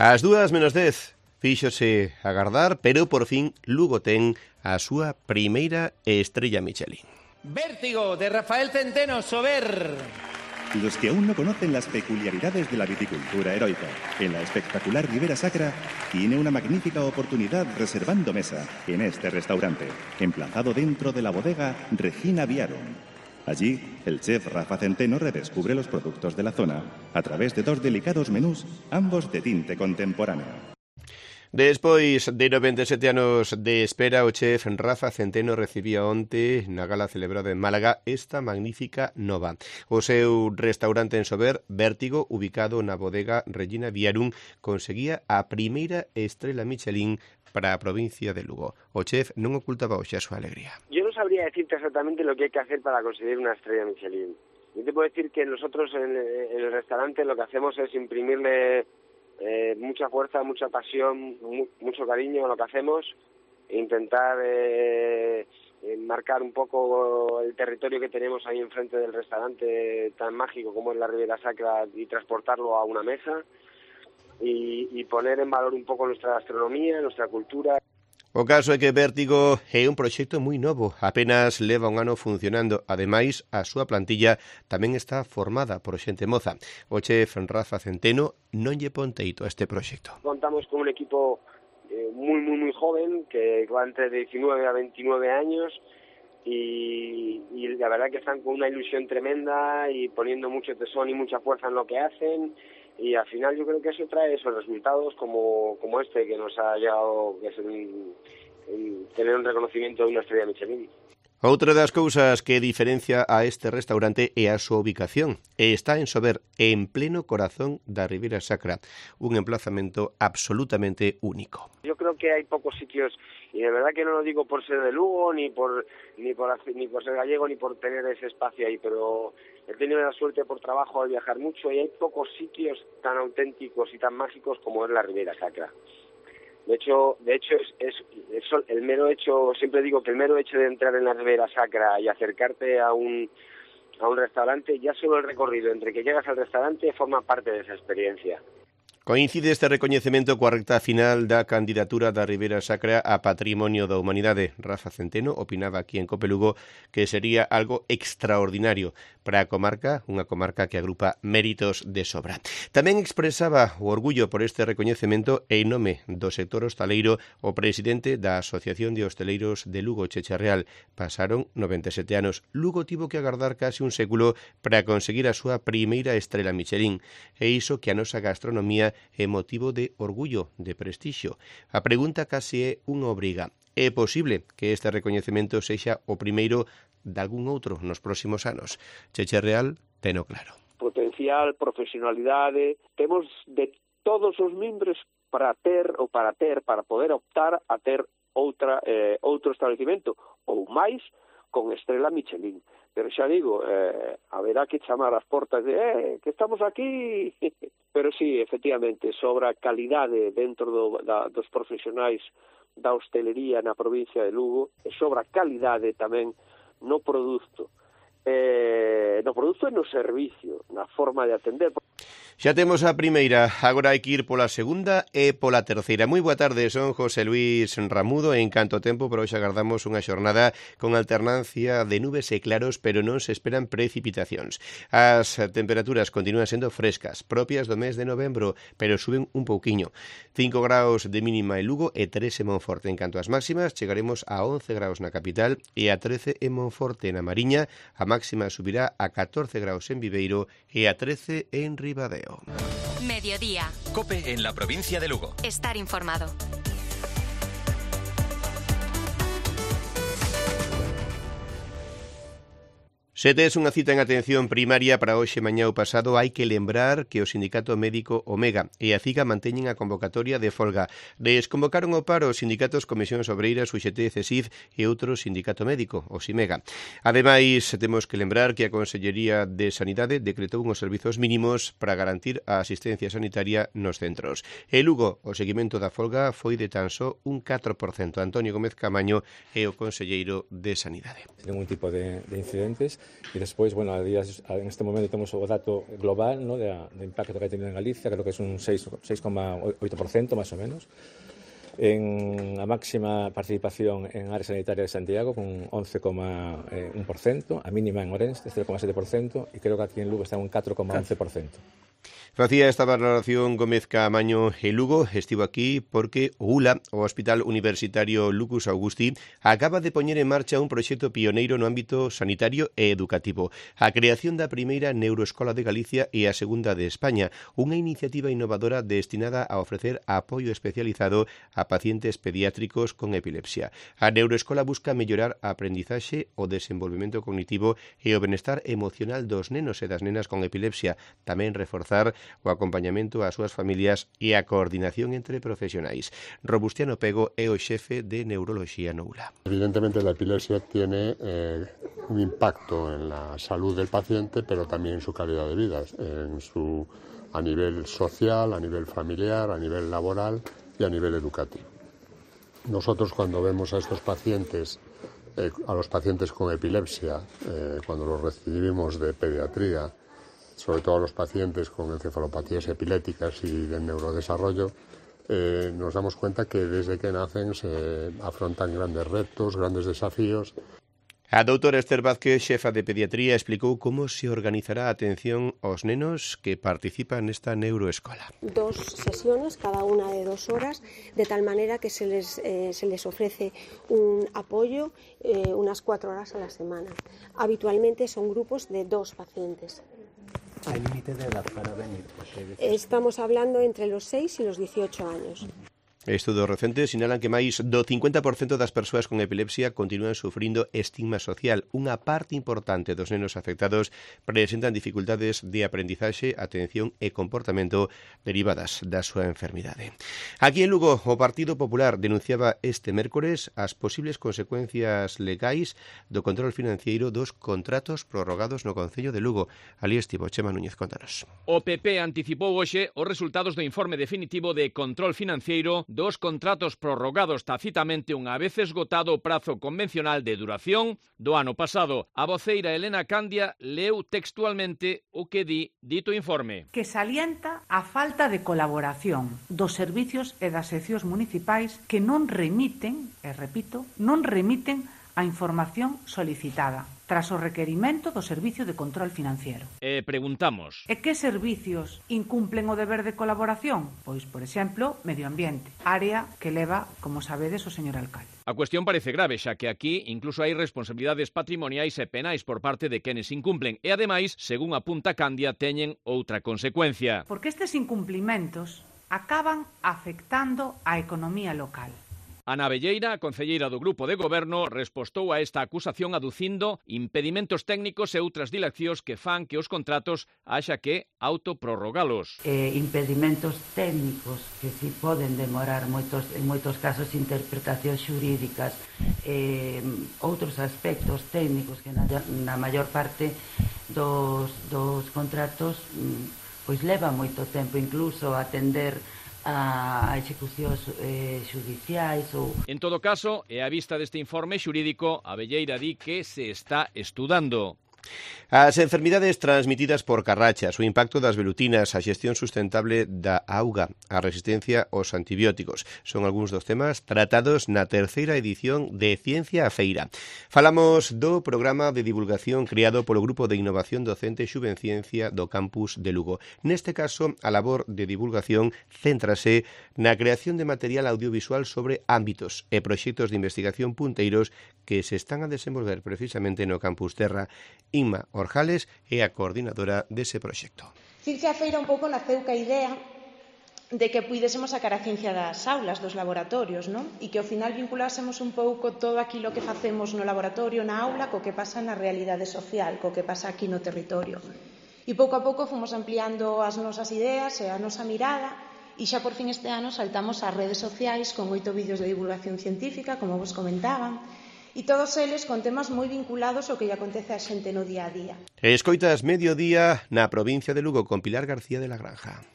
Ás 2:10 fíxose agardar, pero por fin Lugo ten a súa primeira estrella Michelin. Vértigo, de Rafael Centeno, Sober. Los que aún no conocen las peculiaridades de la viticultura heroica, en la espectacular Ribera Sacra, tiene una magnífica oportunidad reservando mesa en este restaurante, emplazado dentro de la bodega Regina Viarum. Allí, el chef Rafa Centeno redescubre los productos de la zona a través de 2 delicados menús, ambos de tinte contemporáneo. Despois de 97 anos de espera, o chef Rafa Centeno recibía onte na gala celebrada en Málaga esta magnífica nova. O seu restaurante en Sober, Vértigo, ubicado na bodega Regina Viarum, conseguía a primeira estrela Michelin para a provincia de Lugo. O chef non ocultaba hoxe a súa alegría. Yo no sabría decirte exactamente lo que hay que hacer para conseguir una estrella Michelin. Yo te puedo decir que nosotros en el restaurante lo que hacemos es imprimirle mucha fuerza, mucha pasión, mucho cariño a lo que hacemos, e intentar marcar un poco el territorio que tenemos ahí enfrente del restaurante tan mágico como es la Ribera Sacra y transportarlo a una mesa y poner en valor un poco nuestra gastronomía, nuestra cultura. O caso é que Vértigo é un proxecto moi novo, apenas leva un ano funcionando. Ademais, a súa plantilla tamén está formada por xente moza. O chef Rafa Centeno non lle pon teito a este proxecto. Contamos con un equipo muy joven, que va entre 19 a 29 años, y la verdad que están con una ilusión tremenda y poniendo mucho tesón y mucha fuerza en lo que hacen. Y al final yo creo que eso trae esos resultados como este que nos ha llegado, que es tener un reconocimiento de una estrella Michelin. Outra das cousas que diferencia a este restaurante é a súa ubicación. Está en Sober, en pleno corazón da Ribera Sacra, un emplazamento absolutamente único. Yo creo que hay pocos sitios, y de verdad que no lo digo por ser de Lugo, ni por ser gallego, ni por tener ese espacio ahí, pero he tenido la suerte por trabajo de viajar mucho y hay pocos sitios tan auténticos y tan mágicos como es la Ribera Sacra. De hecho es el mero hecho, siempre digo que el mero hecho de entrar en la Ribera Sacra y acercarte a un restaurante, ya solo el recorrido entre que llegas al restaurante forma parte de esa experiencia. Coincide este recoñecemento coa recta final da candidatura da Ribera Sacra a Patrimonio da Humanidade. Rafa Centeno opinaba aquí en Cope Lugo que sería algo extraordinario para a comarca, unha comarca que agrupa méritos de sobra. Tamén expresaba o orgullo por este recoñecemento e en nome do sector hostaleiro o presidente da Asociación de Hosteleiros de Lugo, Checha Real. Pasaron 97 anos. Lugo tivo que agardar case un século para conseguir a súa primeira estrela Michelin. E iso que a nosa gastronomía é motivo de orgullo, de prestixio. A pregunta case é unha obriga. É posible que este recoñecemento sexa o primeiro de algún outro nos próximos anos? Cheche Real teno claro. Potencial, profesionalidade, temos de todos os mimbres para poder optar a ter outro establecimento ou máis con estrela Michelin. Pero xa digo, haberá que chamar as portas de que estamos aquí. Pero sí, efectivamente, sobra calidade dentro dos profesionais da hostelería na provincia de Lugo, e sobra calidade tamén no produto e no servicio, na forma de atender. Xa temos a primeira, agora hai que ir pola segunda e pola terceira. Moi boa tarde, son José Luis Ramudo e en canto tempo, pero hoxe agardamos unha xornada con alternancia de nubes e claros, pero non se esperan precipitacións. As temperaturas continúan sendo frescas, propias do mes de novembro, pero suben un pouquiño. 5 graus de mínima en Lugo e 3 en Monforte. En canto ás máximas, chegaremos a 11 graus na capital e a 13 en Monforte. Na Mariña, a máxima subirá a 14 graus en Viveiro e a 13 en Ribadeo. Mediodía. COPE en la provincia de Lugo. Estar informado. Se tes unha cita en atención primaria para hoxe, mañá ou pasado, hai que lembrar que o Sindicato Médico Omega e a CIGA manteñen a convocatoria de folga. Desconvocaron o paro os sindicatos Comisións Obreiras, UGT, CESIF e outro sindicato médico, o SIMEGA. Ademais, temos que lembrar que a Consellería de Sanidade decretou uns servizos mínimos para garantir a asistencia sanitaria nos centros. E Lugo, o seguimento da folga foi de tan só un 4%. Antonio Gómez Camaño é o conselleiro de Sanidade. Ningún tipo de incidentes. E despois, bueno, en este momento temos o dato global, ¿no?, de impacto que ha tenido en Galicia, creo que é un 6,8% máis ou menos. En a máxima participación en área sanitaria de Santiago con 11,1%, a mínima en Ourense 0,7% e creo que aquí en Lugo está un 4,11%. Facía esta valoración Gómez Caamaño e Lugo, estivo aquí porque o ULA, o Hospital Universitario Lucus Augusti, acaba de poñer en marcha un proxecto pioneiro no ámbito sanitario e educativo, a creación da primeira neuroescola de Galicia e a segunda de España, unha iniciativa innovadora destinada a ofrecer apoio especializado a pacientes pediátricos con epilepsia. A neuroescola busca mellorar a aprendizaxe, o desenvolvemento cognitivo e o benestar emocional dos nenos e das nenas con epilepsia, tamén reforzar o acompañamento ás súas familias e a coordinación entre profesionais. Robustiano Pego é o xefe de neuroloxía no ULA. Evidentemente la epilepsia tiene un impacto en la salud del paciente, pero también en su calidad de vida, a nivel social, a nivel familiar, a nivel laboral y a nivel educativo. Nosotros cuando vemos a estos pacientes, a los pacientes con epilepsia, cuando los recibimos de pediatría, sobre todo a los pacientes con encefalopatías epilépticas y de neurodesarrollo, nos damos cuenta que desde que nacen se afrontan grandes retos, grandes desafíos. A doutora Esther Vázquez, xefa de pediatría, explicou como se organizará a atención aos nenos que participan nesta neuroescola. 2 sesiones, cada una de 2 horas, de tal manera que se les ofrece un apoyo unas 4 horas a la semana. Habitualmente son grupos de 2 pacientes. ¿Hay límite de edad para venir? Estamos hablando entre los 6 y los 18 años. Estudos recentes sinalan que máis do 50% das persoas con epilepsia continúan sufrindo estigma social. Unha parte importante dos nenos afectados presentan dificultades de aprendizaxe, atención e comportamento derivadas da súa enfermidade. Aquí en Lugo, o Partido Popular denunciaba este mércores as posibles consecuencias legais do control financiero dos contratos prorrogados no Concello de Lugo. Alí estivo Chema Núñez, contanos. O PP anticipou hoxe os resultados do informe definitivo de control financiero dos contratos prorrogados tacitamente unha vez esgotado o prazo convencional de duración do ano pasado. A voceira Elena Candia leu textualmente o que di dito informe. Que salienta a falta de colaboración dos servicios e das seccións municipais que non remiten, e repito, non remiten a información solicitada tras o requerimento do Servicio de Control Financiero. E preguntamos: E que servicios incumplen o deber de colaboración? Pois, por exemplo, Medio Ambiente, área que leva, como sabedes, o señor alcalde. A cuestión parece grave, xa que aquí incluso hai responsabilidades patrimoniais e penais por parte de quenes incumplen e, ademais, según apunta Candia, teñen outra consecuencia. Porque estes incumplimentos acaban afectando a economía local. Ana Velleira, a concelleira do Grupo de Goberno, respostou a esta acusación aducindo impedimentos técnicos e outras dilacións que fan que os contratos haxa que autoprorrogalos. Impedimentos técnicos que si poden demorar en moitos casos interpretacións xurídicas, outros aspectos técnicos que na maior parte dos contratos pois leva moito tempo incluso atender a execucións xudiciais ou... En todo caso, e á vista deste informe xurídico, a Velleira di que se está estudando. As enfermidades transmitidas por carrachas, o impacto das velutinas, a xestión sustentable da auga, a resistencia aos antibióticos son algúns dos temas tratados na terceira edición de Ciencia a Feira. Falamos do programa de divulgación creado polo Grupo de Innovación Docente Xuvenciencia do Campus de Lugo. Neste caso, a labor de divulgación céntrase na creación de material audiovisual sobre ámbitos e proxectos de investigación punteiros que se están a desenvolver precisamente no Campus Terra. Inma Orjales é a coordinadora dese proxecto. Ciencia a Feira un pouco naceu ca idea de que puidésemos sacar a ciencia das aulas, dos laboratorios, non? E que ao final vinculásemos un pouco todo aquilo que facemos no laboratorio, na aula, co que pasa na realidade social, co que pasa aquí no territorio. E pouco a pouco fomos ampliando as nosas ideas e a nosa mirada e xa por fin este ano saltamos ás redes sociais con 8 vídeos de divulgación científica, como vos comentaban, e todos eles con temas moi vinculados ao que lle acontece a xente no día a día. Escoitas Mediodía na provincia de Lugo con Pilar García de la Granja.